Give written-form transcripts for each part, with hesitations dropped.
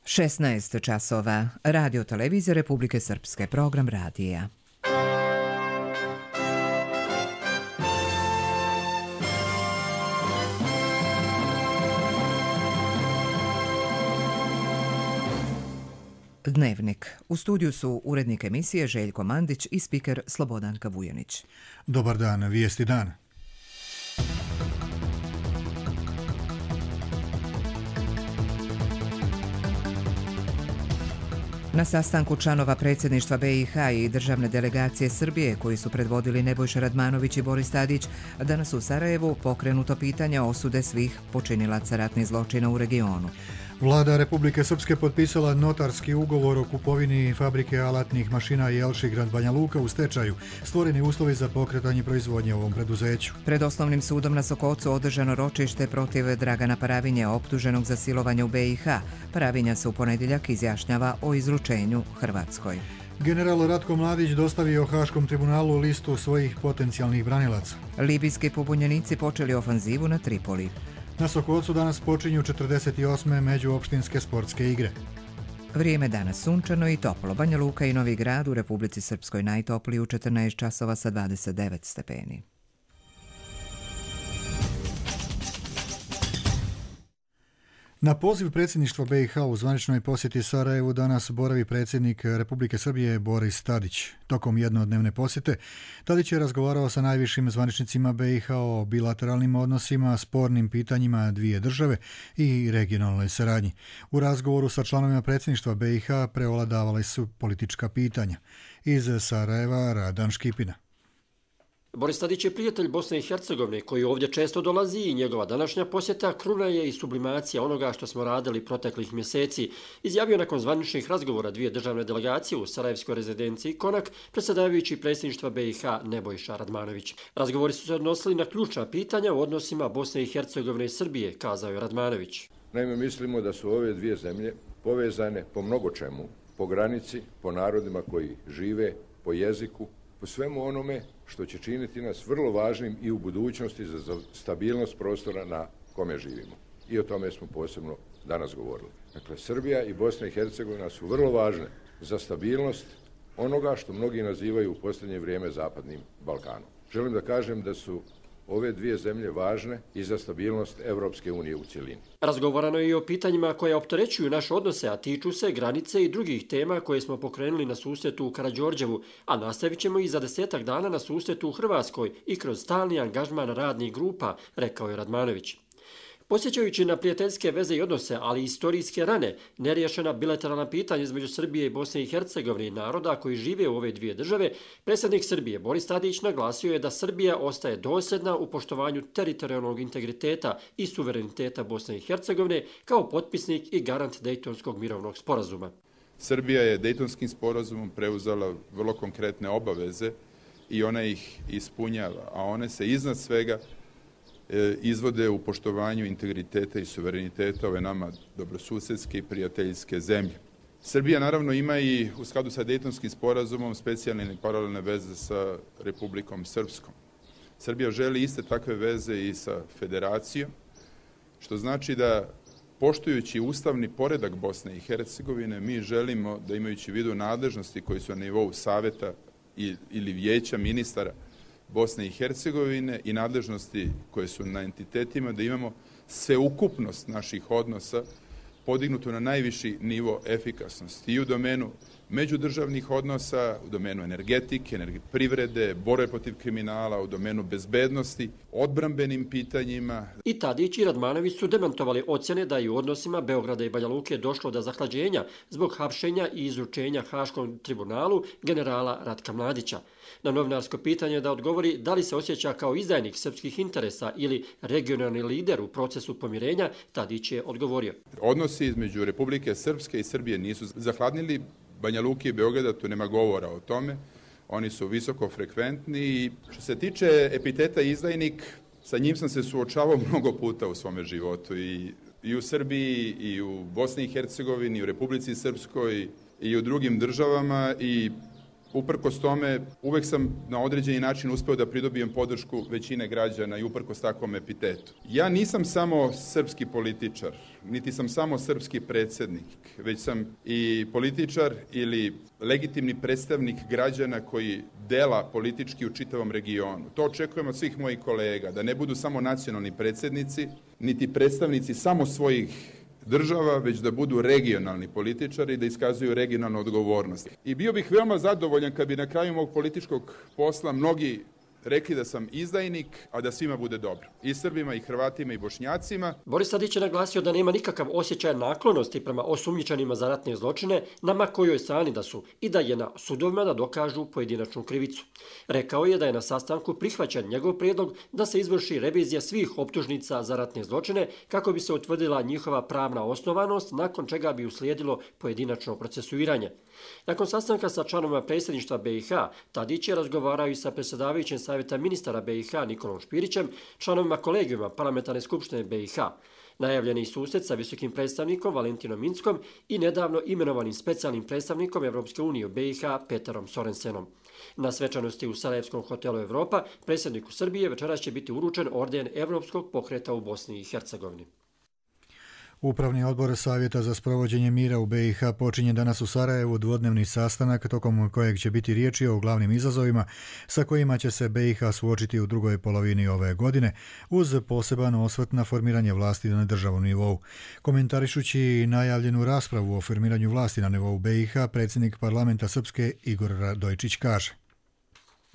16 časova. Radio televizije Republike Srpske. Program radija. Dnevnik. U studiju su urednik emisije Željko Mandić i spiker Slobodanka Vujanić. Dobar dan, vijesti dana. Na sastanku članova predsjedništva BiH i državne delegacije Srbije, koji su predvodili Nebojša Radmanović i Boris Tadić, danas u Sarajevu pokrenuto pitanje osude svih počinilaca ratnih zločina u regionu. Vlada Republike Srpske potpisala notarski ugovor o kupovini fabrike alatnih mašina Jelši grad Banja Luka u stečaju. Stvoreni uslovi za pokretanje proizvodnje u ovom preduzeću. Pred osnovnim sudom na Sokocu održano ročište protiv Dragana Paravinje, optuženog za silovanje u BiH. Paravinja se u ponedjeljak izjašnjava o izručenju Hrvatskoj. General Ratko Mladić dostavio Haškom tribunalu listu svojih potencijalnih branilaca. Libijski pobunjenici počeli ofanzivu na Tripoli. Na Sokocu danas počinju 48. međuopštinske sportske igre. Vrijeme danas sunčano i toplo. Banja Luka i Novi Grad u Republici Srpskoj najtopliji u 14 časova sa 29 stepeni. Na poziv predsjedništva BiH u zvaničnoj posjeti Sarajevu danas boravi predsjednik Republike Srbije Boris Tadić. Tokom jednodnevne posjete Tadić je razgovarao sa najvišim zvaničnicima BiH o bilateralnim odnosima, spornim pitanjima dvije države i regionalnoj saradnji. U razgovoru sa članovima predsjedništva BiH preovladavala su politička pitanja. Iz Sarajeva Radan Škipina. Boris Tadić je prijatelj Bosne i Hercegovine koji ovdje često dolazi i njegova današnja posjeta kruna je i sublimacija onoga što smo radili proteklih mjeseci, izjavio nakon zvaničnih razgovora dvije državne delegacije u sarajevskoj rezidenciji Konak, predsjedavajući predsjedništva BiH Nebojša Radmanović. Razgovori su se odnosili na ključna pitanja u odnosima Bosne i Hercegovine i Srbije, kazao je Radmanović. Naime, mislimo da su ove dvije zemlje povezane po mnogo čemu, po granici, po narodima koji žive, po jeziku, po svemu onome što će činiti nas vrlo važnim i u budućnosti za stabilnost prostora na kome živimo. I o tome smo posebno danas govorili. Dakle, Srbija i Bosna i Hercegovina su vrlo važne za stabilnost onoga što mnogi nazivaju u posljednje vrijeme Zapadnim Balkanom. Želim da kažem da su ove dvije zemlje važne i za stabilnost Evropske unije u cjelini. Razgovarano je i o pitanjima koje opterećuju naše odnose, a tiču se granice i drugih tema koje smo pokrenuli na susretu u Karađorđevu, a nastavit ćemo i za 10 dana na susretu u Hrvatskoj i kroz stalni angažman radnih grupa, rekao je Radmanović. Posjećajući na prijateljske veze i odnose, ali i istorijske rane, neriješena bilateralna pitanja između Srbije i Bosne i Hercegovine i naroda koji žive u ove dvije države, predsjednik Srbije Boris Tadić naglasio je da Srbija ostaje dosljedna u poštovanju teritorijalnog integriteta i suvereniteta Bosne i Hercegovine kao potpisnik i garant Dejtonskog mirovnog sporazuma. Srbija je Dejtonskim sporazumom preuzela vrlo konkretne obaveze i ona ih ispunjava, a one se iznad svega izvode u poštovanju integriteta i suvereniteta ove nama dobrosusjedske i prijateljske zemlje. Srbija naravno ima i u skladu sa Dejtonskim sporazumom specijalne i paralelne veze sa Republikom Srpskom. Srbija želi iste takve veze i sa federacijom, što znači da poštujući ustavni poredak Bosne i Hercegovine, mi želimo da imajući u vidu nadležnosti koji su na nivou saveta ili vijeća ministara Bosne i Hercegovine i nadležnosti koje su na entitetima, da imamo sveukupnost naših odnosa podignutu na najviši nivo efikasnosti i u domenu međudržavnih odnosa, u domenu energetike, privrede, borbe protiv kriminala, u domenu bezbednosti, odbrambenim pitanjima. I Tadić i Radmanović su demantovali ocjene da je u odnosima Beograda i Banja Luke došlo do zahlađenja zbog hapšenja i izručenja Haškom tribunalu generala Ratka Mladića. Na novinarsko pitanje da odgovori da li se osjeća kao izdajnik srpskih interesa ili regionalni lider u procesu pomirenja, Tadić je odgovorio. Odnosi između Republike Srpske i Srbije nisu zahladnili. Banja Luke i Beograda, tu nema govora o tome. Oni su visoko frekventni i što se tiče epiteta izdajnik, sa njim sam se suočavao mnogo puta u svome životu i u Srbiji, i u Bosni i Hercegovini, i u Republici Srpskoj, i u drugim državama i Uprkos tome, uvek sam na određeni način uspeo da pridobijem podršku većine građana i uprkos takvom epitetu. Ja nisam samo srpski političar, niti sam samo srpski predsjednik, već sam i političar ili legitimni predstavnik građana koji dela politički u čitavom regionu. To očekujem od svih mojih kolega, da ne budu samo nacionalni predsjednici, niti predstavnici samo svojih država, već da budu regionalni političari i da iskazuju regionalnu odgovornost. I bio bih veoma zadovoljan kad bi na kraju mog političkog posla mnogi rekli da sam izdajnik, a da svima bude dobro. I Srbima, i Hrvatima, i Bošnjacima. Boris Tadić je naglasio da nema nikakav osjećaj naklonosti prema osumnjičenima za ratne zločine, na ma kojoj strani da su, i da je na sudovima da dokažu pojedinačnu krivicu. Rekao je da je na sastanku prihvaćen njegov prijedlog da se izvrši revizija svih optužnica za ratne zločine kako bi se utvrdila njihova pravna osnovanost, nakon čega bi uslijedilo pojedinačno procesuiranje. Nakon sastanka sa članovima predsjedništva BiH, Tadić je razgovarao i sa predsjedavajućim savjeta ministara BiH Nikolom Špirićem, članovima kolegijuma Parlamentarne skupštine BiH, najavljeni susret sa visokim predstavnikom Valentinom Inckom i nedavno imenovanim specijalnim predstavnikom Evropske unije u BiH Peterom Sorensenom. Na svečanosti u Sarajevskom hotelu Evropa predsjedniku Srbije večeras će biti uručen orden Evropskog pokreta u Bosni i Hercegovini. Upravni odbor Savjeta za sprovođenje mira u BiH počinje danas u Sarajevu dvodnevni sastanak tokom kojeg će biti riječi o glavnim izazovima sa kojima će se BiH suočiti u drugoj polovini ove godine, uz poseban osvrt na formiranje vlasti na državnom nivou. Komentarišući najavljenu raspravu o formiranju vlasti na nivou BiH, predsjednik parlamenta Srpske Igor Radojčić kaže: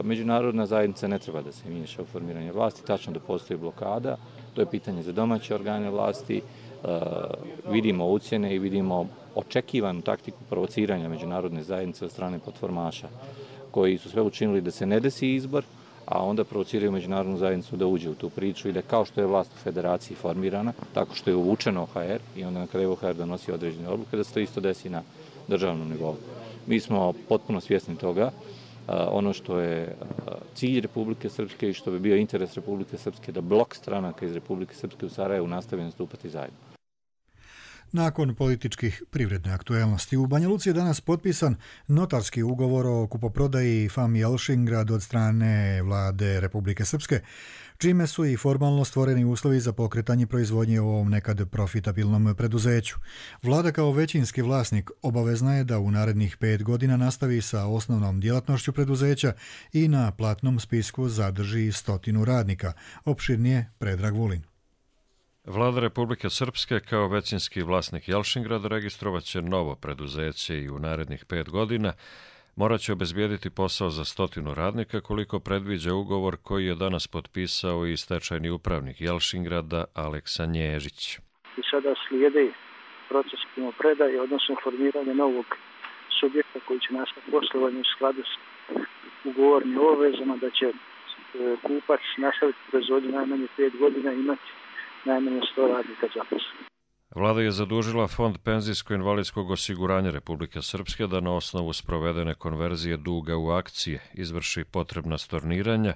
Međunarodna zajednica ne treba da se miješa u formiranje vlasti, tačno da postoji blokada, to je pitanje za domaće organe vlasti. Vidimo ucjene i vidimo očekivanu taktiku provociranja međunarodne zajednice od strane platformaša, koji su sve učinili da se ne desi izbor, a onda provociraju međunarodnu zajednicu da uđe u tu priču i da kao što je vlast u federaciji formirana, tako što je uvučeno OHR i onda na kraju OHR donosi određene odluke, da se to isto desi na državnom nivou. Mi smo potpuno svjesni toga. Ono što je cilj Republike Srpske i što bi bio interes Republike Srpske da blok stranaka iz Republike Srpske u Sarajevu nastavi nastupati zajedno. Nakon političkih privredne aktuelnosti, u Banja Luci je danas potpisan notarski ugovor o kupoprodaji FAM Jelšingrad od strane vlade Republike Srpske, čime su i formalno stvoreni uslovi za pokretanje proizvodnje u ovom nekad profitabilnom preduzeću. Vlada kao većinski vlasnik obavezna je da u narednih 5 godina nastavi sa osnovnom djelatnošću preduzeća i na platnom spisku zadrži 100 radnika. Opširnije Predrag Vulin. Vlada Republike Srpske kao većinski vlasnik Jelšingrada registrovat će novo preduzeće i u narednih 5 godina morat će obezbijediti posao za 100 radnika koliko predviđa ugovor koji je danas potpisao i stečajni upravnik Jelšingrada Aleksa Nježić. I sada slijedi proces primopredaje, odnosno formiranje novog subjekta koji će nastaviti poslovanje u skladu s ugovornim obavezama, da će kupac nastaviti proizvodnju najmanje 5 godina i imati najmanje 100 radnika zaposlenih. Vlada je zadužila Fond penzijsko-invalidskog osiguranja Republike Srpske da na osnovu sprovedene konverzije duga u akcije izvrši potrebna storniranja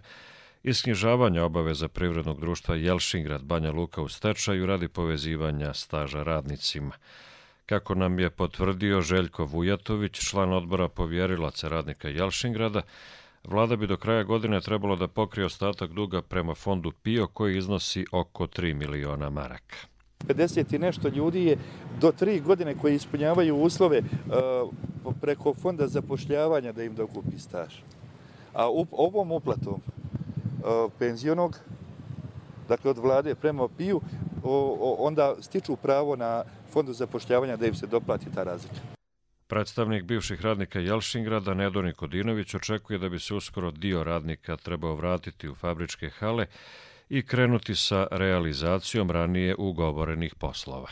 i sknjižavanja obaveza privrednog društva Jelšingrad Banja Luka u stečaju radi povezivanja staža radnicima. Kako nam je potvrdio Željko Vujatović, član odbora povjerilaca radnika Jelšingrada, Vlada bi do kraja godine trebalo da pokrije ostatak duga prema fondu PIO koji iznosi oko 3 miliona maraka. 50 i nešto ljudi je do 3 godine koji ispunjavaju uslove preko fonda zapošljavanja da im dokupi staž. A ovom uplatom penzionog, dakle od vlade prema PIO, onda stiču pravo na fondu zapošljavanja da im se doplati ta razlika. Predstavnik bivših radnika Jelšingrada, Nedo Nikodinović, očekuje da bi se uskoro dio radnika trebao vratiti u fabričke hale i krenuti sa realizacijom ranije ugovorenih poslova.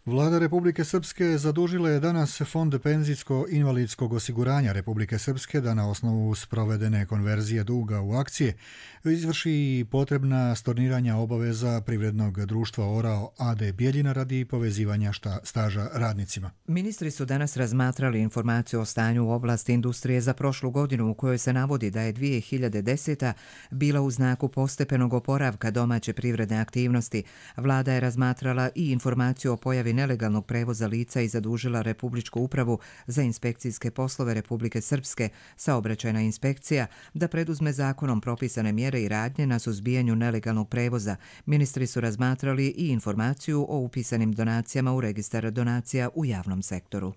Vlada Republike Srpske zadužila je danas Fond penzijsko-invalidskog osiguranja Republike Srpske da na osnovu sprovedene konverzije duga u akcije izvrši potrebna storniranja obaveza privrednog društva Orao AD Bijeljina radi povezivanja staža radnicima. Ministri su danas razmatrali informaciju o stanju u oblasti industrije za prošlu godinu u kojoj se navodi da je 2010. bila u znaku postepenog oporavka domaće privredne aktivnosti. Vlada je razmatrala i informaciju o pojavi nelegalnog prevoza lica i zadužila Republičku upravu za inspekcijske poslove Republike Srpske, saobraćajna inspekcija, da preduzme zakonom propisane mjere i radnje na suzbijanju nelegalnog prevoza. Ministri su razmatrali i informaciju o upisanim donacijama u registar donacija u javnom sektoru.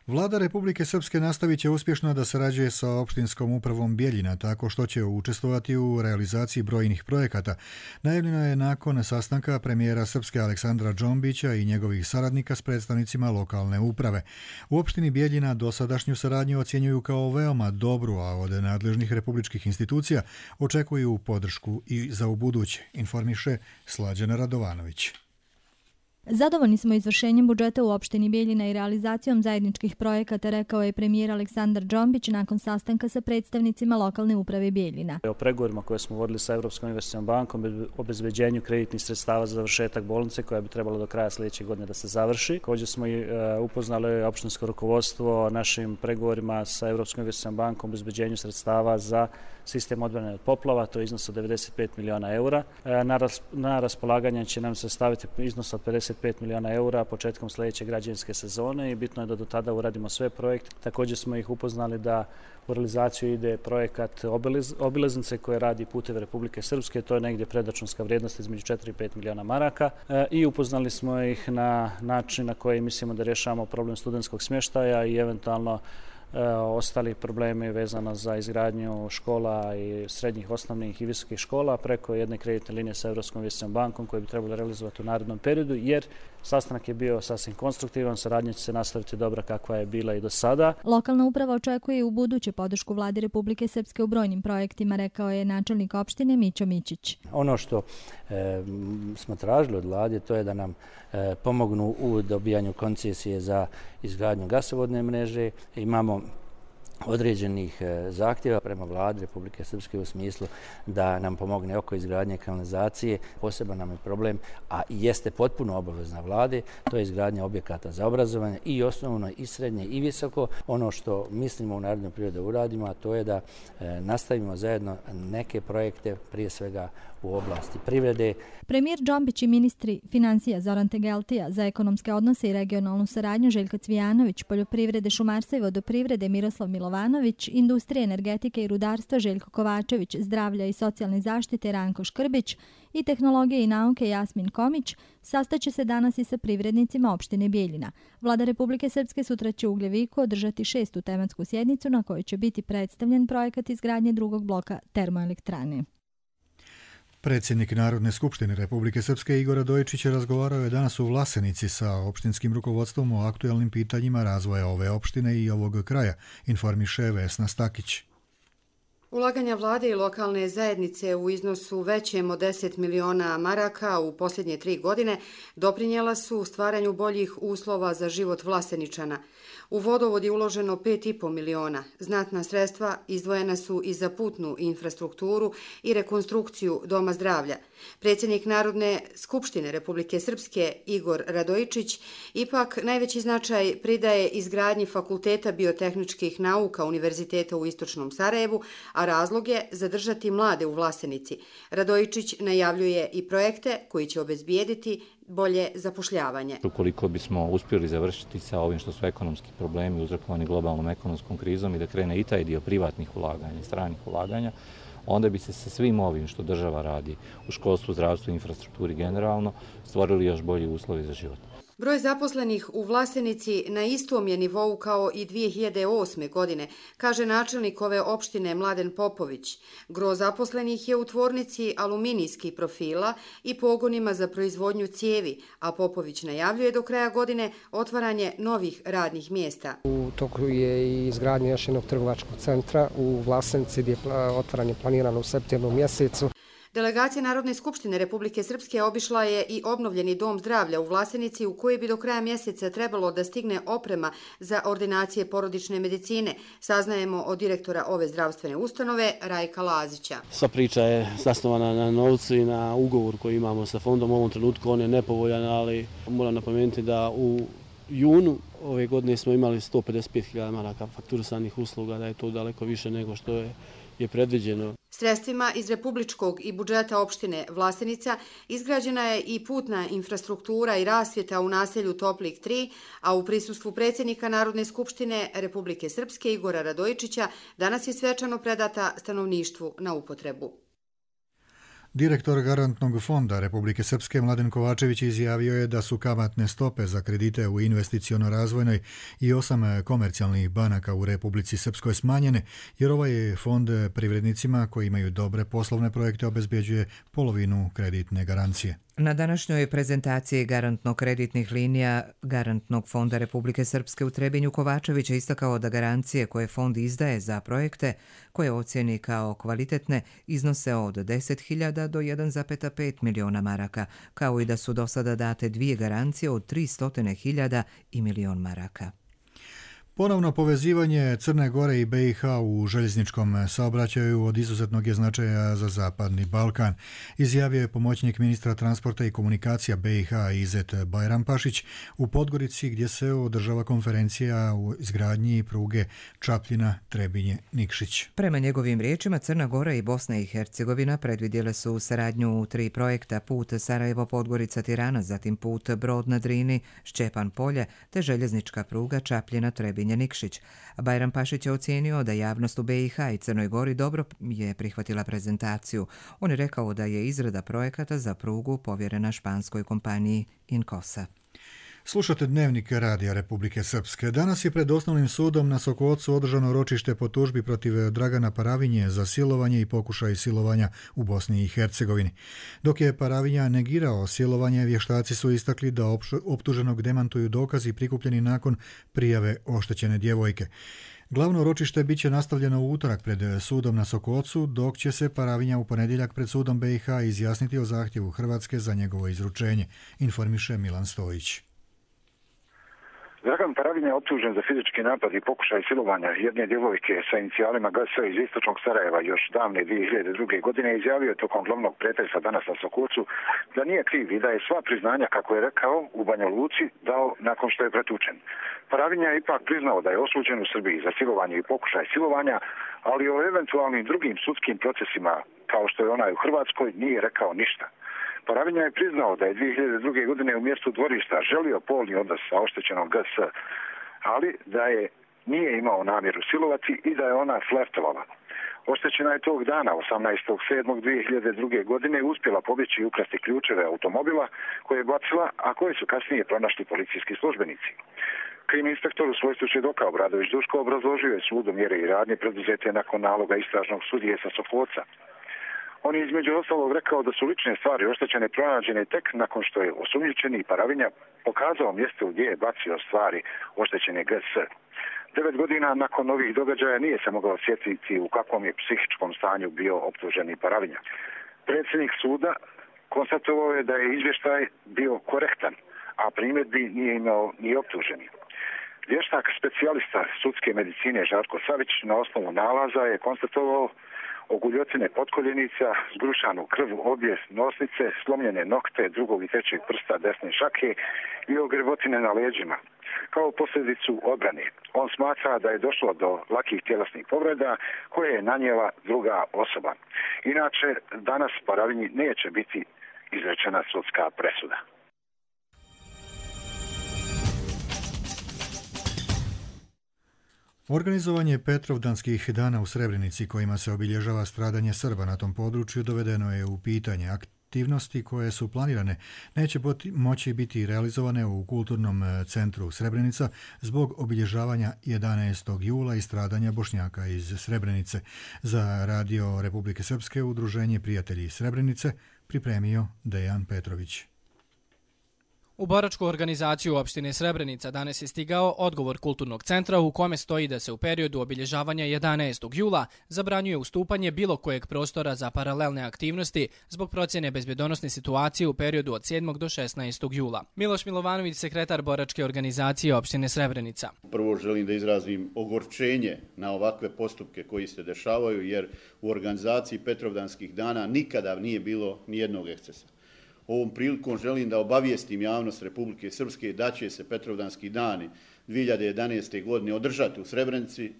Vlada Republike Srpske nastavit će uspješno da sarađuje sa opštinskom upravom Bjeljina tako što će učestvovati u realizaciji brojnih projekata. Najavljeno je nakon sastanka premijera Srpske Aleksandra Džombića i njegovih saradnika s predstavnicima lokalne uprave. U opštini Bjeljina dosadašnju saradnju ocjenjuju kao veoma dobru, a od nadležnih republičkih institucija očekuju podršku i za ubuduće, informiše Slađana Radovanović. Zadovoljni smo izvršenjem budžeta u opštini Bjeljina i realizacijom zajedničkih projekata, rekao je premijer Aleksandar Džombić nakon sastanka sa predstavnicima lokalne uprave Bjeljina. O pregovorima koje smo vodili sa Evropskom investicionom bankom, obezbeđenju kreditnih sredstava za završetak bolnice koja bi trebala do kraja sljedeće godine da se završi. Također smo i upoznali opštinsko rukovodstvo o našim pregovorima sa Evropskom investicionom bankom, obezbeđenju sredstava za sistem odbrane od poplava, to je iznos od 95 miliona eura. Na raspolaganje će nam se staviti iznos od 55 miliona eura početkom sljedeće građevinske sezone i bitno je da do tada uradimo sve projekte. Također smo ih upoznali da u realizaciju ide projekat obilaznice koje radi Puteve Republike Srpske, to je negdje predračunska vrijednost između 4 i 5 miliona maraka i upoznali smo ih na način na koji mislimo da rješavamo problem studentskog smještaja i eventualno ostali problemi vezano za izgradnju škola i srednjih, osnovnih i visokih škola preko jedne kreditne linije sa Evropskom investicionom bankom koje bi trebalo realizovati u narednom periodu, jer sastanak je bio sasvim konstruktivan, saradnja će se nastaviti dobra kakva je bila i do sada. Lokalna uprava očekuje i u buduće podršku Vlade Republike Srpske u brojnim projektima, rekao je načelnik opštine Mićo Mićić. Ono što smo tražili od Vlade, to je da nam pomognu u dobijanju koncesije za izgradnju gasovodne mreže. Imamo određenih zahtjeva prema Vladi Republike Srpske u smislu da nam pomogne oko izgradnje kanalizacije. Poseban nam je problem, a jeste potpuno obavezna Vlade, to je izgradnja objekata za obrazovanje i osnovno i srednje i visoko. Ono što mislimo u narednom periodu da uradimo, a to je da nastavimo zajedno neke projekte, prije svega u oblasti privrede. Premijer Džombić i ministri financija Zoran Tegeltija, za ekonomske odnose i regionalnu saradnju Željko Cvijanović, poljoprivrede, šumarstva i vodoprivrede Miroslav Milovanović, industrije, energetike i rudarstva Željko Kovačević, zdravlja i socijalne zaštite Ranko Škrbić i tehnologije i nauke Jasmin Komić sastaće se danas i sa privrednicima opštine Bjeljina. Vlada Republike Srpske sutra će u Ugljeviku održati 6. tematsku sjednicu na kojoj će biti predstavljen projekat izgradnje drugog bloka termoelektrane. Predsjednik Narodne skupštine Republike Srpske Igor Radojičić razgovarao je danas u Vlasenici sa opštinskim rukovodstvom o aktuelnim pitanjima razvoja ove opštine i ovog kraja, informiše Vesna Stakić. Ulaganja vlade i lokalne zajednice u iznosu većem od 10 miliona maraka u posljednje 3 godine doprinijela su stvaranju boljih uslova za život Vlaseničana. U vodovod je uloženo 5,5 miliona. Znatna sredstva izdvojena su i za putnu infrastrukturu i rekonstrukciju Doma zdravlja. Predsjednik Narodne skupštine Republike Srpske Igor Radojičić ipak najveći značaj pridaje izgradnji Fakulteta biotehničkih nauka Univerziteta u Istočnom Sarajevu, a razlog je zadržati mlade u Vlasenici. Radojičić najavljuje i projekte koji će obezbijediti bolje zapošljavanje. Ukoliko bismo uspjeli završiti sa ovim što su ekonomski problemi uzrokovani globalnom ekonomskom krizom i da krene i taj dio privatnih ulaganja i stranih ulaganja, onda bi se sa svim ovim što država radi u školstvu, zdravstvu i infrastrukturi generalno stvorili još bolji uslovi za život. Broj zaposlenih u Vlasenici na istom je nivou kao i 2008. godine, kaže načelnik ove opštine Mladen Popović. Gro zaposlenih je u tvornici aluminijskih profila i pogonima za proizvodnju cijevi, a Popović najavljuje do kraja godine otvaranje novih radnih mjesta. U toku je i izgradnja još jednog trgovačkog centra u Vlasenici gdje je otvaranje planirano u septembru mjesecu. Delegacija Narodne skupštine Republike Srpske obišla je i obnovljeni Dom zdravlja u Vlasenici u koji bi do kraja mjeseca trebalo da stigne oprema za ordinacije porodične medicine, saznajemo od direktora ove zdravstvene ustanove Rajka Lazića. Sva priča je zasnovana na novcu i na ugovor koji imamo sa fondom. U ovom trenutku on je nepovoljan, ali moram napomenuti da u junu ove godine smo imali 155.000 maraka fakturisanih usluga, da je to daleko više nego što je predviđeno. Sredstvima iz republičkog i budžeta opštine Vlasenica izgrađena je i putna infrastruktura i rasvjeta u naselju Toplik 3, a u prisustvu predsjednika Narodne skupštine Republike Srpske Igora Radojičića danas je svečano predata stanovništvu na upotrebu. Direktor Garantnog fonda Republike Srpske Mladen Kovačević izjavio je da su kamatne stope za kredite u investiciono-razvojnoj i 8 komercijalnih banaka u Republici Srpskoj smanjene, jer ovaj fond privrednicima koji imaju dobre poslovne projekte obezbeđuje polovinu kreditne garancije. Na današnjoj prezentaciji garantno-kreditnih linija Garantnog fonda Republike Srpske u Trebinju Kovačević je istakao da garancije koje fond izdaje za projekte koje ocjeni kao kvalitetne iznose od 10.000 do 1,5 miliona maraka, kao i da su do sada date 2 garancije od 300.000 i milion maraka. Ponovno povezivanje Crne Gore i BiH u željezničkom saobraćaju od izuzetnog je značaja za Zapadni Balkan, izjavio je pomoćnik ministra transporta i komunikacija BiH Izet Bajrampašić u Podgorici, gdje se održava konferencija u izgradnji pruge Čapljina-Trebinje-Nikšić. Prema njegovim riječima, Crna Gora i Bosna i Hercegovina predvidjele su saradnju u 3 projekta: put Sarajevo-Podgorica-Tirana, zatim put Brod na Drini, Šćepan-Polje te željeznička pruga Čapljina-Trebinje Nikšić. Bajrampašić je ocijenio da javnost u BiH i Crnoj Gori dobro je prihvatila prezentaciju. On je rekao da je izrada projekata za prugu povjerena španskoj kompaniji Inkosa. Slušate Dnevnik Radija Republike Srpske. Danas je pred Osnovnim sudom na Sokocu održano ročište po tužbi protiv Dragana Paravinje za silovanje i pokušaj silovanja u Bosni i Hercegovini. Dok je Paravinja negirao silovanje, vještaci su istakli da optuženog demantuju dokazi prikupljeni nakon prijave oštećene djevojke. Glavno ročište bit će nastavljeno u utorak pred sudom na Sokocu, dok će se Paravinja u ponedjeljak pred sudom BiH izjasniti o zahtjevu Hrvatske za njegovo izručenje, informiše Milan Stojić. Dragan Paravinja je optužen za fizički napad i pokušaj silovanja jedne djevojke sa inicijalima GS iz istočnog Sarajeva još davne 2002. godine izjavio je tokom glavnog pretresa danas na Sokocu da nije kriv i da je sva priznanja, kako je rekao, u Banja Luci dao nakon što je pretučen. Paravinja je ipak priznao da je osuđen u Srbiji za silovanje i pokušaj silovanja, ali o eventualnim drugim sudskim procesima, kao što je onaj u Hrvatskoj, nije rekao ništa. Paravinja je priznao da je 2002. godine u mjestu dvorišta želio polni odnos sa oštećenom GS, ali da je nije imao namjeru silovati i da je ona flertovala. Oštećena je tog dana, 18.7.2002. godine, uspjela pobjeći i ukrasti ključeve automobila koje je bacila, a koje su kasnije pronašli policijski službenici. Krim inspektor u svojstvu svjedoka Obradović Duško obrazložio je sudu mjere i radnje preduzete nakon naloga istražnog sudije sa Sokoca. On je između ostalog rekao da su lične stvari oštećene pronađene tek nakon što je osumnjičeni Paravinja pokazao mjesto gdje je bacio stvari oštećene GS. 9 godina nakon ovih događaja nije se mogao sjetiti u kakvom je psihičkom stanju bio optuženi Paravinja. Predsjednik suda konstatovao je da je izvještaj bio korektan, a primjedbi nije imao ni optuženi. Vještak specijalista sudske medicine Žarko Savić na osnovu nalaza je konstatovao oguljocine potkoljenica, zgrušanu krv obje nosnice, slomljene nokte drugog i trećeg prsta desne šake i ogrebotine na leđima. Kao posljedicu odbrane, on smatra da je došlo do lakih tjelesnih povreda koje je nanijela druga osoba. Inače, danas Paravinji neće biti izrečena sudska presuda. Organizovanje Petrovdanskih dana u Srebrenici, kojima se obilježava stradanje Srba na tom području, dovedeno je u pitanje. Aktivnosti koje su planirane neće moći biti realizovane u Kulturnom centru Srebrenica zbog obilježavanja 11. jula i stradanja Bošnjaka iz Srebrenice. Za Radio Republike Srpske Udruženje Prijatelji Srebrenice pripremio Dejan Petrović. U boračku organizaciju opštine Srebrenica danas je stigao odgovor Kulturnog centra u kome stoji da se u periodu obilježavanja 11. jula zabranjuje ustupanje bilo kojeg prostora za paralelne aktivnosti zbog procjene bezbjedonosne situacije u periodu od 7. do 16. jula. Miloš Milovanović, sekretar boračke organizacije opštine Srebrenica. Prvo želim da izrazim ogorčenje na ovakve postupke koji se dešavaju, jer u organizaciji Petrovdanskih dana nikada nije bilo nijednog ekscesa. Ovom prilikom želim da obavijestim javnost Republike Srpske da će se Petrovdanski dani 2011. godine održati u Srebrenici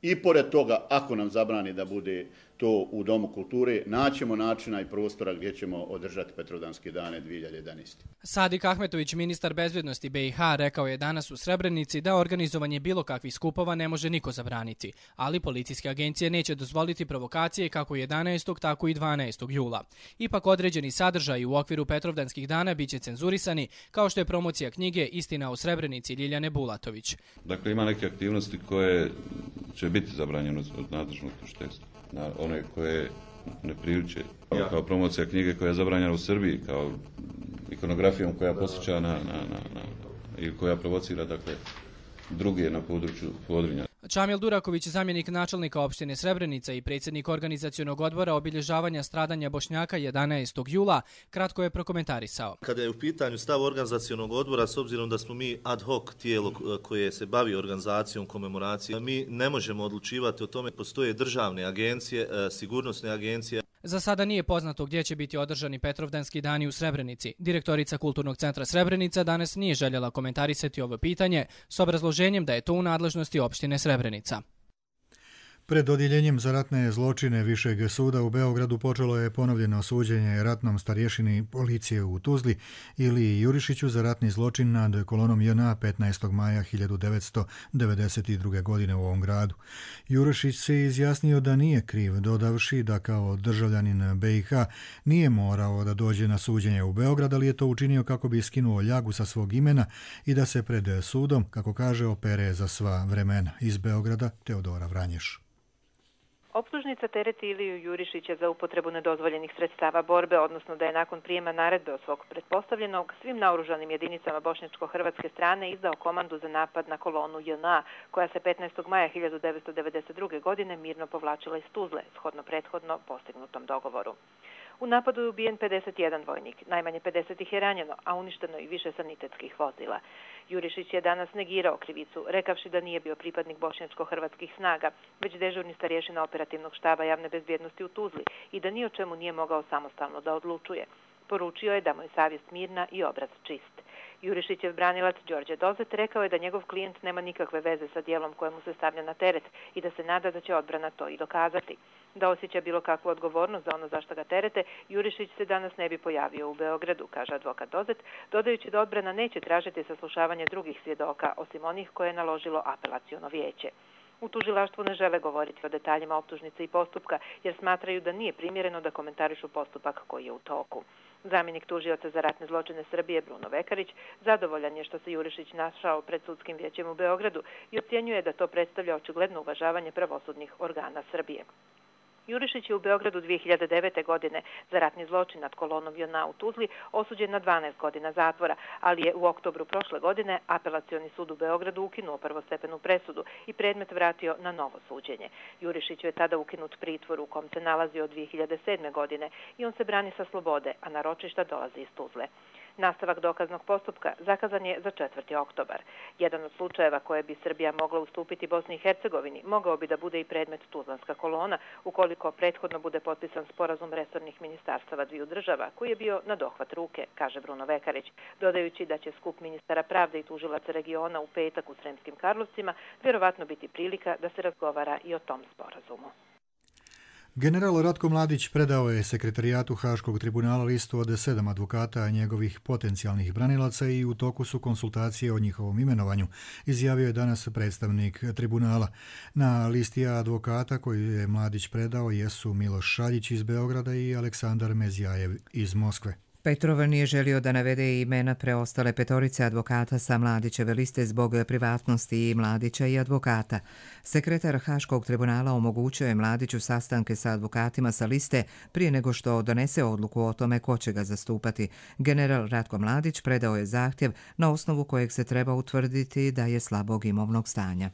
I pored toga, ako nam zabrani da bude to u Domu kulture, naćemo načina i prostora gdje ćemo održati Petrovdanske dane 2011. Sadik Ahmetović, ministar bezbjednosti BiH, rekao je danas u Srebrenici da organizovanje bilo kakvih skupova ne može niko zabraniti, ali policijske agencije neće dozvoliti provokacije kako 11. tako i 12. jula. Ipak određeni sadržaji u okviru Petrovdanskih dana biće cenzurisani, kao što je promocija knjige Istina o Srebrenici Ljiljane Bulatović. Dakle, ima neke aktivnosti koje će biti zabranjene od nadležnog tužiteljstva. Na one koje ne priliče, kao promocija knjige koja je zabranjena u Srbiji, kao ikonografijom koja posjeća ili koja provocira druge na području Podrinja. Čamil Duraković, zamjenik načelnika opštine Srebrenica i predsjednik organizacionog odbora obilježavanja stradanja Bošnjaka 11. jula, kratko je prokomentarisao. Kada je u pitanju stav organizacionog odbora, s obzirom da smo mi ad hoc tijelo koje se bavi organizacijom komemoracije, mi ne možemo odlučivati o tome. Postoje državne agencije, sigurnosne agencije. Za sada nije poznato gdje će biti održani Petrovdanski dani u Srebrenici. Direktorica Kulturnog centra Srebrenica danas nije željela komentarisati ovo pitanje s obrazloženjem da je to u nadležnosti opštine Srebrenica. Pred odjeljenjem za ratne zločine Višeg suda u Beogradu počelo je ponovljeno suđenje ratnom starješini policije u Tuzli Iliji Jurišiću za ratni zločin nad kolonom JNA 15. maja 1992. godine u ovom gradu. Jurišić se izjasnio da nije kriv, dodavši da kao državljanin BiH nije morao da dođe na suđenje u Beograd, ali je to učinio kako bi skinuo ljagu sa svog imena i da se pred sudom, kako kaže, opere za sva vremena. Iz Beograda Teodora Vranješ. Optužnica tereti Iliju Jurišića za upotrebu nedozvoljenih sredstava borbe, odnosno da je nakon prijema naredbe od svog pretpostavljenog svim naoružanim jedinicama bošnjačko-hrvatske strane izdao komandu za napad na kolonu JNA, koja se 15. maja 1992. godine mirno povlačila iz Tuzle, shodno prethodno postignutom dogovoru. U napadu je ubijen 51 vojnik, najmanje 50 ih je ranjeno, a uništeno i više sanitetskih vozila. Jurišić je danas negirao krivicu, rekavši da nije bio pripadnik bošnjačko-hrvatskih snaga, već dežurni starješina operativnog štaba javne bezbjednosti u Tuzli i da ni o čemu nije mogao samostalno da odlučuje. Poručio je da mu je savjest mirna i obraz čist. Jurišićev branilac Đorđe Dozet rekao je da njegov klijent nema nikakve veze sa dijelom kojemu se stavlja na teret i da se nada da će odbrana to i dokazati. Da osjeća bilo kakvu odgovornost za ono zašto ga terete, Jurišić se danas ne bi pojavio u Beogradu, kaže advokat Dozet, dodajući da odbrana neće tražiti saslušavanje drugih svjedoka, osim onih koje je naložilo apelaciono vijeće. U tužilaštvu ne žele govoriti o detaljima optužnice i postupka, jer smatraju da nije primjereno da komentarišu postupak koji je u toku. Zamjenik tužioca za ratne zločine Srbije Bruno Vekarić zadovoljan je što se Jurišić našao pred sudskim vijećem u Beogradu i ocjenjuje da to predstavlja očigledno uvažavanje pravosudnih organa Srbije. Jurišić je u Beogradu 2009. godine za ratni zločin nad kolonom JNA u Tuzli osuđen na 12 godina zatvora, ali je u oktobru prošle godine Apelacioni sud u Beogradu ukinuo prvostepenu presudu i predmet vratio na novo suđenje. Jurišiću je tada ukinut pritvor u kom se nalazio od 2007. godine i on se brani sa slobode, a na ročišta dolazi iz Tuzle. Nastavak dokaznog postupka zakazan je za 4. oktobar. Jedan od slučajeva koje bi Srbija mogla ustupiti Bosni i Hercegovini mogao bi da bude i predmet Tuzlanska kolona, ukoliko prethodno bude potpisan sporazum resornih ministarstava dviju država, koji je bio na dohvat ruke, kaže Bruno Vekarić, dodajući da će skup ministara pravde i tužilaca regiona u petak u Sremskim Karlovcima vjerovatno biti prilika da se razgovara i o tom sporazumu. General Ratko Mladić predao je sekretarijatu Haškog tribunala listu od 7 advokata njegovih potencijalnih branilaca i u toku su konsultacije o njihovom imenovanju, izjavio je danas predstavnik tribunala. Na listi advokata koju je Mladić predao jesu Miloš Šaljić iz Beograda i Aleksandar Mezjajev iz Moskve. Petrov nije želio da navede imena preostale petorice advokata sa Mladićeve liste zbog privatnosti i Mladića i advokata. Sekretar Haškog tribunala omogućio je Mladiću sastanke sa advokatima sa liste prije nego što donese odluku o tome ko će ga zastupati. General Ratko Mladić predao je zahtjev na osnovu kojeg se treba utvrditi da je slabog imovnog stanja.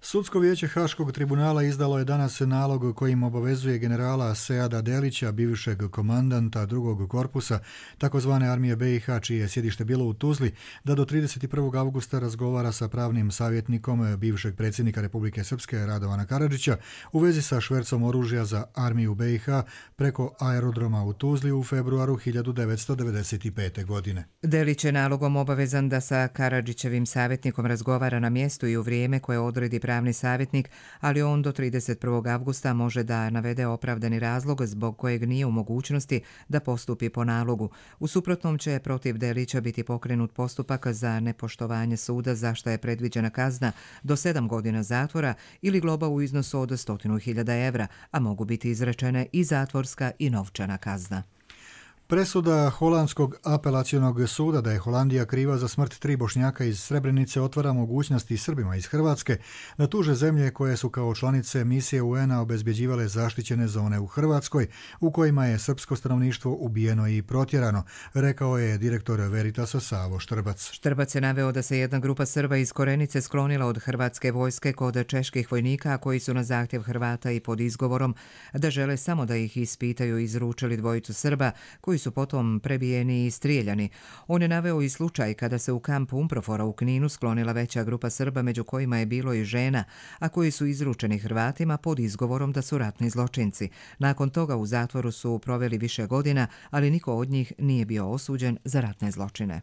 Sudsko vijeće Haškog tribunala izdalo je danas nalog kojim obavezuje generala Seada Delića, bivšeg komandanta drugog korpusa takozvane armije BiH, čije je sjedište bilo u Tuzli, da do 31. augusta razgovara sa pravnim savjetnikom bivšeg predsjednika Republike Srpske Radovana Karadžića u vezi sa švercom oružja za armiju BiH preko aerodroma u Tuzli u februaru 1995. godine. Delić je nalogom obavezan da sa Karadžićevim savjetnikom razgovara na mjestu i u vrijeme koje odredi pravni savjetnik, ali on do 31. avgusta može da navede opravdani razlog zbog kojeg nije u mogućnosti da postupi po nalogu. U suprotnom će protiv Delića biti pokrenut postupak za nepoštovanje suda za što je predviđena kazna do 7 godina zatvora ili globa u iznosu od 100.000 evra, a mogu biti izrečene i zatvorska i novčana kazna. Presuda Holandskog apelacionog suda da je Holandija kriva za smrt 3 Bošnjaka iz Srebrenice otvara mogućnosti Srbima iz Hrvatske da tuže zemlje koje su kao članice misije UN-a obezbjeđivale zaštićene zone u Hrvatskoj u kojima je srpsko stanovništvo ubijeno i protjerano, rekao je direktor Veritasa Savo Štrbac. Štrbac je naveo da se jedna grupa Srba iz Korenice sklonila od hrvatske vojske kod čeških vojnika koji su na zahtjev Hrvata i pod izgovorom da žele samo da ih ispitaju izručili dvojicu Srba koji su potom prebijeni i strijeljani. On je naveo i slučaj kada se u kampu Umprofora u Kninu sklonila veća grupa Srba, među kojima je bilo i žena, a koji su izručeni Hrvatima pod izgovorom da su ratni zločinci. Nakon toga u zatvoru su proveli više godina, ali niko od njih nije bio osuđen za ratne zločine.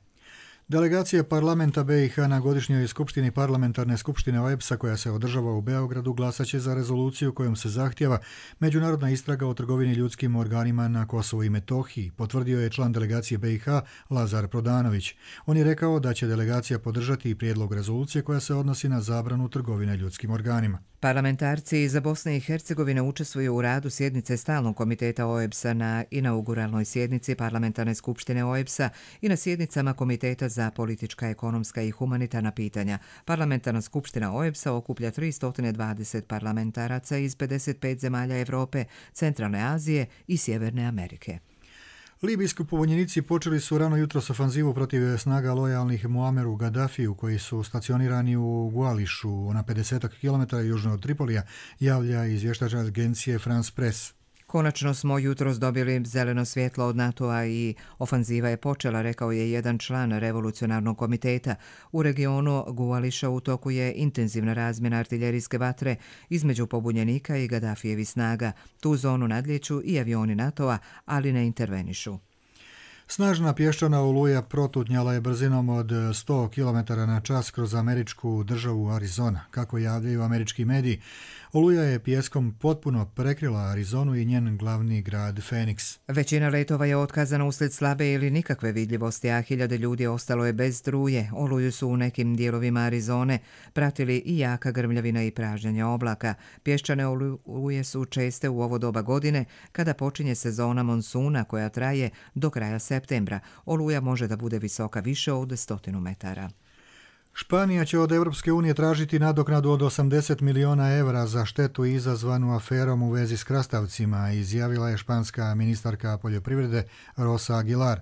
Delegacija parlamenta BiH na godišnjoj skupštini parlamentarne skupštine OEBS-a koja se održava u Beogradu glasaće za rezoluciju kojom se zahtjeva međunarodna istraga o trgovini ljudskim organima na Kosovu i Metohiji, potvrdio je član delegacije BiH Lazar Prodanović. On je rekao da će delegacija podržati i prijedlog rezolucije koja se odnosi na zabranu trgovine ljudskim organima. Parlamentarci iz Bosne i Hercegovine učestvuju u radu sjednice Stalnog komiteta OEBS-a na inauguralnoj sjednici parlamentarne skupštine OEBS-a i na sjednicama Komiteta za politička, ekonomska i humanitarna pitanja. Parlamentarna skupština OEBS-a okuplja 320 parlamentaraca iz 55 zemalja Evrope, Centralne Azije i Sjeverne Amerike. Libijski pobunjenici počeli su rano jutros ofanzivu protiv snaga lojalnih Muameru Gaddafiju koji su stacionirani u Guališu na 50 km južno od Tripolija, javlja izvještač agencije France Press. Konačno smo jutros dobili zeleno svjetlo od NATO-a i ofanziva je počela, rekao je jedan član revolucionarnog komiteta. U regionu Guališa u toku je intenzivna razmjena artiljerijske vatre između pobunjenika i Gaddafijevih snaga. Tu zonu nadlijeću i avioni NATO-a, ali ne intervenišu. Snažna pješčana oluja protutnjala je brzinom od 100 km na čas kroz američku državu Arizona. Kako javljaju američki mediji, oluja je pijeskom potpuno prekrila Arizonu i njen glavni grad Phoenix. Većina letova je otkazana uslijed slabe ili nikakve vidljivosti, a hiljade ljudi ostalo je bez struje. Oluju su u nekim dijelovima Arizone pratili i jaka grmljavina i pražnjenje oblaka. Pješčane oluje su česte u ovo doba godine kada počinje sezona monsuna koja traje do kraja septembra. Oluja može da bude visoka više od 100 metara. Španija će od Europske unije tražiti nadoknadu od 80 miliona evra za štetu izazvanu aferom u vezi s krastavcima, izjavila je španska ministarka poljoprivrede Rosa Aguilar.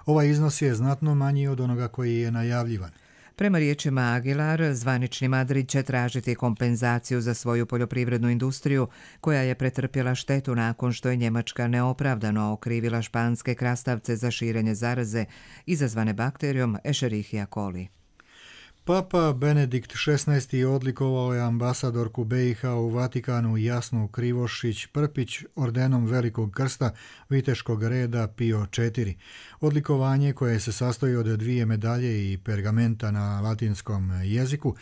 Ovaj iznos je znatno manji od onoga koji je najavljivan. Prema riječima Aguilar, zvanični Madrid će tražiti kompenzaciju za svoju poljoprivrednu industriju koja je pretrpjela štetu nakon što je Njemačka neopravdano okrivila španske krastavce za širenje zaraze izazvane bakterijom Escherichia coli. Papa Benedikt XVI. Odlikovao je ambasadorku BiH u Vatikanu Jasnu Krivošić-Prpić ordenom Velikog krsta Viteškog reda Pio IV. Odlikovanje, koje se sastoji od 2 medalje i pergamenta na latinskom jeziku,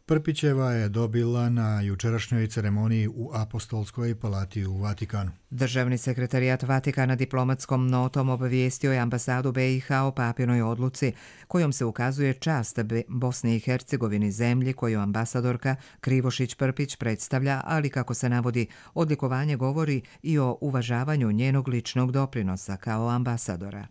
Prpićeva je dobila na jučerašnjoj ceremoniji u Apostolskoj palati u Vatikanu. Državni sekretarijat Vatikana diplomatskom notom obavijestio je ambasadu BiH o papinoj odluci kojom se ukazuje čast Bosni i Hercegovini, zemlji koju ambasadorka Krivošić-Prpić predstavlja, ali kako se navodi, odlikovanje govori i o uvažavanju njenog ličnog doprinosa kao ambasadora.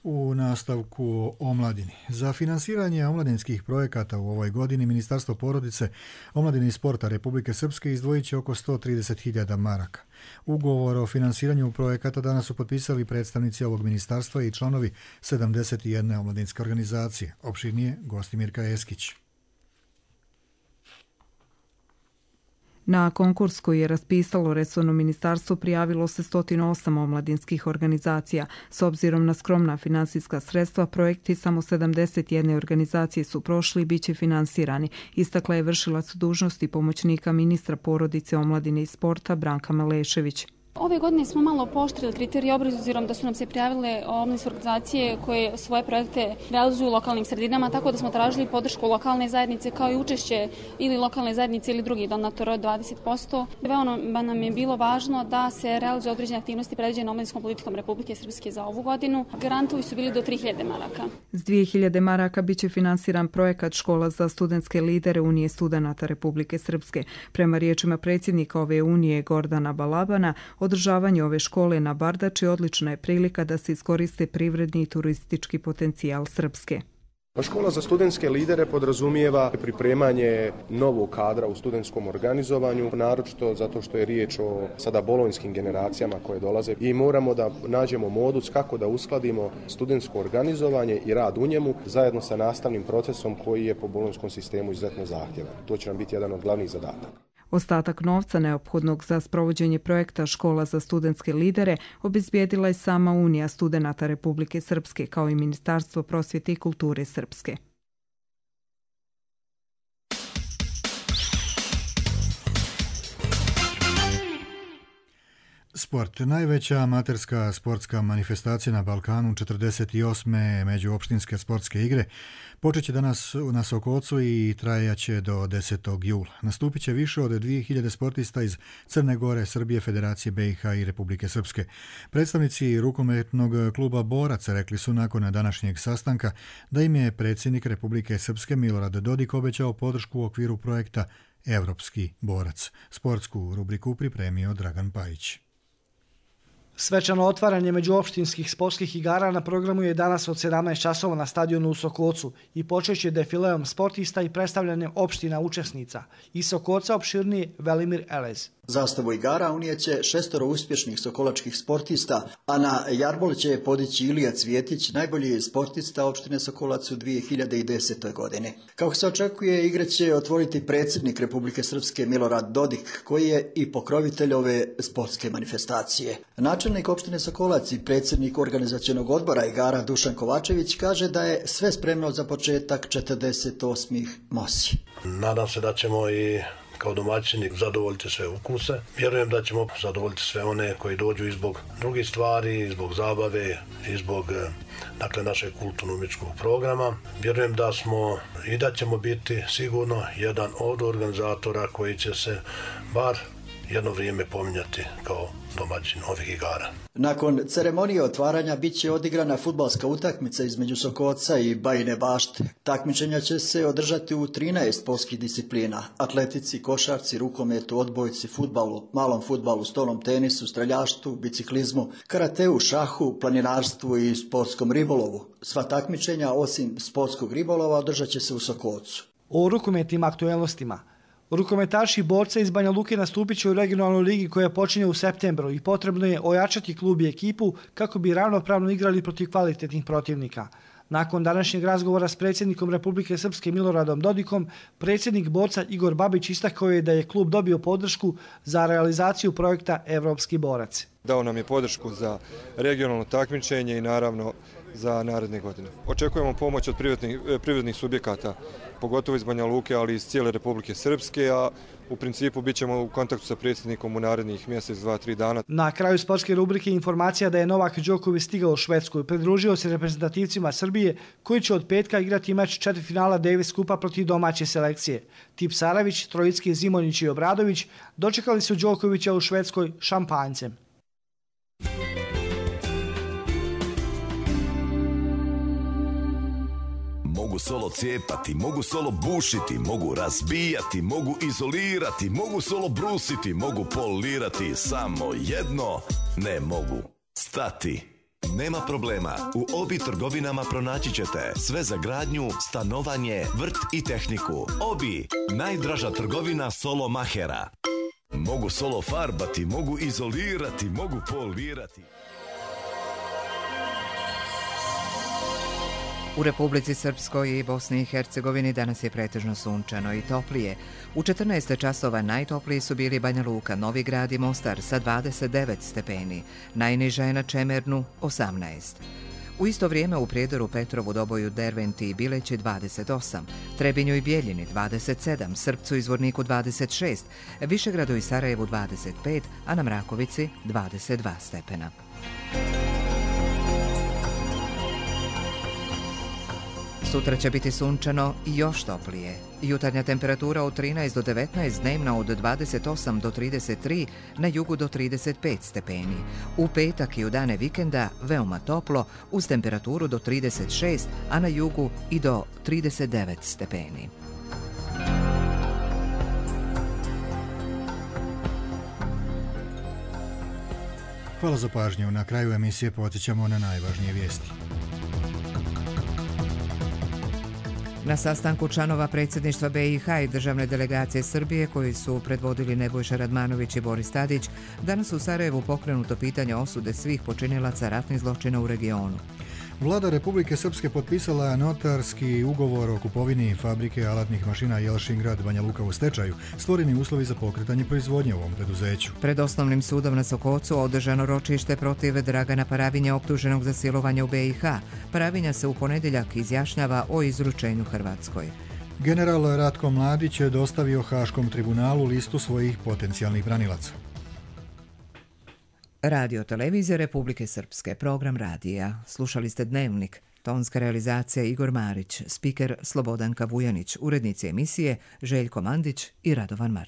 U nastavku o omladini. Za finansiranje omladinskih projekata u ovoj godini Ministarstvo porodice, omladine i sporta Republike Srpske izdvojit će oko 130.000 maraka. Ugovor o finansiranju projekata danas su potpisali predstavnici ovog ministarstva i članovi 71 omladinske organizacije. Opširnije Gostimirka Eskić. Na konkurs koji je raspisalo resorno ministarstvo prijavilo se 108 omladinskih organizacija. S obzirom na skromna finansijska sredstva, projekti samo 71 organizacije su prošli i bit će finansirani, istakla je vršilac dužnosti pomoćnika ministra porodice, omladine i sporta Branka Malešević. Ove godine smo malo pooštrili kriterije obzirom da su nam se prijavile omladinske organizacije koje svoje projekte realizuju u lokalnim sredinama, tako da smo tražili podršku lokalne zajednice kao i učešće ili lokalne zajednice ili drugih donatora od 20%. Veoma nam je bilo važno da se realizuju određene aktivnosti predviđene omladinskom politikom Republike Srpske za ovu godinu. Grantovi su bili do 3000 maraka. S 2000 maraka biće finansiran projekat Škola za studentske lidere Unije studenata Republike Srpske. Prema riječima predsjednika ove unije Gordana Balabana, održavanje ove škole na Bardači odlična je prilika da se iskoriste privredni i turistički potencijal Srpske. Škola za studentske lidere podrazumijeva pripremanje novog kadra u studentskom organizovanju, naročito zato što je riječ o sada bolonjskim generacijama koje dolaze i moramo da nađemo modus kako da uskladimo studentsko organizovanje i rad u njemu zajedno sa nastavnim procesom koji je po bolonjskom sistemu izuzetno zahtjevan. To će nam biti jedan od glavnih zadataka. Ostatak novca neophodnog za sprovođenje projekta Škola za studentske lidere obezbijedila je sama Unija studenata Republike Srpske kao i Ministarstvo prosvjete i kulture Srpske. Sport. Najveća amaterska sportska manifestacija na Balkanu, 48. međuopštinske sportske igre, počet će danas na Sokocu i trajaće do 10. jula. Nastupit će više od 2000 sportista iz Crne Gore, Srbije, Federacije BiH i Republike Srpske. Predstavnici rukometnog kluba Borac rekli su nakon današnjeg sastanka da im je predsjednik Republike Srpske Milorad Dodik obećao podršku u okviru projekta Evropski borac. Sportsku rubriku pripremio Dragan Pajić. Svečano otvaranje međuopštinskih sportskih igara na programu je danas od 17 časova na stadionu u Sokocu i počeće defileom sportista i predstavljanjem opština učesnica. Iz Sokoca opširniji Velimir Elez. Zastavu igara unijeće 6 uspješnih sokolačkih sportista, a na jarbol će podići Ilija Cvjetić, najbolji sportista opštine Sokolac u 2010. godini. Kako se očekuje, igre će otvoriti predsjednik Republike Srpske Milorad Dodik, koji je i pokrovitelj ove sportske manifestacije. Načelnik opštine Sokolac i predsjednik organizacionog odbora igara Dušan Kovačević kaže da je sve spremno za početak 48. MOSI. Nadam se da ćemo i kao domaćini zadovoljiti sve ukuse. Vjerujem da ćemo zadovoljiti sve one koji dođu i zbog drugih stvari, i zbog zabave, i zbog našeg kulturno-umjetničkog programa. Vjerujem da smo i da ćemo biti sigurno jedan od organizatora koji će se bar jedno vrijeme pominjati kao domaćin ovih igara. Nakon ceremonije otvaranja bit će odigrana fudbalska utakmica između Sokoca i Bajine Bašte. Takmičenja će se održati u 13 sportskih disciplina: atletici, košarci, rukometu, odbojci, fudbalu, malom fudbalu, stolnom tenisu, streljaštvu, biciklizmu, karateu, šahu, planinarstvu i sportskom ribolovu. Sva takmičenja osim sportskog ribolova održat će se u Sokocu. O rukometnim aktuelnostima. Rukometaši borca iz Banja Luke nastupit će u regionalnoj ligi koja počinje u septembru i potrebno je ojačati klub i ekipu kako bi ravnopravno igrali protiv kvalitetnih protivnika. Nakon današnjeg razgovora s predsjednikom Republike Srpske Miloradom Dodikom, predsjednik borca Igor Babić istakao je da je klub dobio podršku za realizaciju projekta Evropski borac. Dao nam je podršku za regionalno takmičenje i naravno za naredne godine. Očekujemo pomoć od privrednih subjekata, pogotovo iz Banja Luke, ali i iz cijele Republike Srpske, a u principu bit ćemo u kontaktu sa predsjednikom u narednih mjesec, 2-3 dana. Na kraju sportske rubrike informacija da je Novak Đoković stigao u Švedsku i pridružio se reprezentativcima Srbije koji će od petka igrati meč četvrtfinala Davis Kupa protiv domaće selekcije. Tipsarević, Trojicki, Zimonjić i Obradović dočekali su Đokovića u Švedskoj šampanjcem. Mogu solo cijepati, mogu solo bušiti, mogu razbijati, mogu izolirati, mogu solo brusiti, mogu polirati, samo jedno ne mogu stati. Nema problema, u Obi trgovinama pronaći ćete sve za gradnju, stanovanje, vrt i tehniku. Obi, najdraža trgovina solo mahera. Mogu solo farbati, mogu izolirati, mogu polirati. U Republici Srpskoj i Bosni i Hercegovini danas je pretežno sunčano i toplije. U 14 časova najtopliji su bili Banja Luka, Novi Grad i Mostar sa 29 stepeni. Najniža je na Čemernu 18. U isto vrijeme u Prijedoru, Petrovu, Doboju, Derventi i Bileći 28, Trebinju i Bijeljini 27, Srpcu i Zvorniku 26, Višegradu i Sarajevu 25, a na Mrakovici 22 stepena. Sutra će biti sunčano i još toplije. Jutarnja temperatura od 13 do 19, dnevna od 28 do 33, na jugu do 35 stepeni. U petak i u dane vikenda veoma toplo, uz temperaturu do 36, a na jugu i do 39 stepeni. Hvala za pažnju. Na kraju emisije podsjećamo na najvažnije vijesti. Na sastanku članova predsjedništva BiH i državne delegacije Srbije, koji su predvodili Nebojša Radmanović i Boris Tadić, danas u Sarajevu pokrenuto pitanje osude svih počinilaca ratnih zločina u regionu. Vlada Republike Srpske potpisala notarski ugovor o kupovini fabrike alatnih mašina Jelšingrad Banja Luka u stečaju, stvoreni uslovi za pokretanje proizvodnje u ovom preduzeću. Pred osnovnim sudom na Sokocu održano ročište protiv Dragana Paravinja, optuženog za silovanje u BiH. Paravinja se u ponedjeljak izjašnjava o izručenju Hrvatskoj. General Ratko Mladić je dostavio Haškom tribunalu listu svojih potencijalnih branilaca. Radio televizija Republike Srpske, program radija. Slušali ste Dnevnik, tonska realizacija Igor Marić, spiker Slobodanka Vujanić, urednici emisije Željko Mandić i Radovan Marčić.